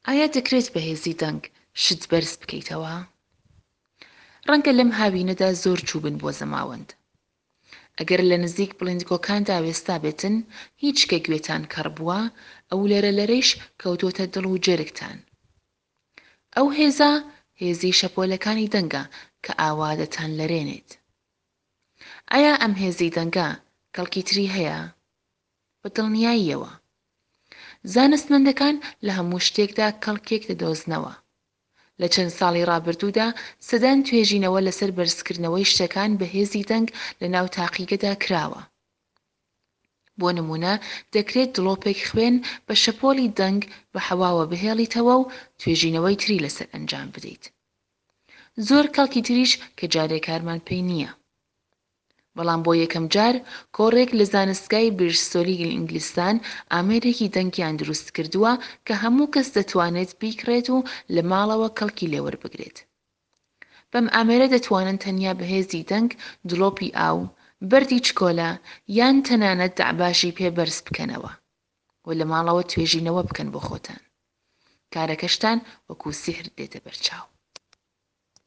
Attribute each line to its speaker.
Speaker 1: ئایا دەکرێت بە هێزی دەنگ شت بەرز بکەیتەوە؟ ڕەنگە لەم هاوینەدا زۆر چووبن بۆ زەماوەند. ئەگەر لە نزیک بڵیندگۆکاندا وێستابێتن، هیچ کە گوێتان کەڕ بووە، ئەو لەرەلەرەیش کەوتۆتە دڵ و جەرگتان. ئەو هێزە، هێزی شەپۆلەکانی دەنگە کە ئاوا دەتانلەرێنێت. ئایا ئەم هێزی دەنگە کەڵکی تری هەیە؟ بە دڵنیاییەوە. زانستمەندەکان لە هەموو شتێکدا کەڵکێک دەدۆزنەوە. لە چەند ساڵی ڕابردوودا سەدان توێژینەوە لەسەر بەرزکردنەوەی شتەکان بە هێزی دەنگ لە ناو تاقیگەدا کراوە. بۆ نموونە دەکرێت دڵۆپێک خوێن بە شەپۆلی دەنگ بە حەواوە بهێڵیتەوە و توێژینەوەی تری لەسەر ئەنجام بدەیت. زۆر کەڵکی تریش کە جارێ کارمان پێی نییە. بەڵام بۆ یەکەم جار کۆڕێک لە زانستگای بریستۆلی ئینگلستان ئامێرێکی دەنگیان دروست کردووە کە هەموو کەس دەتوانێت بیکڕێت و لە ماڵەوە کەڵکی لێوەربگرێت. بەم ئامێرە دەتوانن تەنیا بە هێزی دەنگ دڵۆپی ئاو، بەردی چکۆلە یان تەنانەت دەعباشی پێ بەرز بکەنەوە و لە ماڵەوە توێژینەوە بکەن بۆ خۆتان. کارەکەشتان وەکوو سیحر دێتە بەرچاو.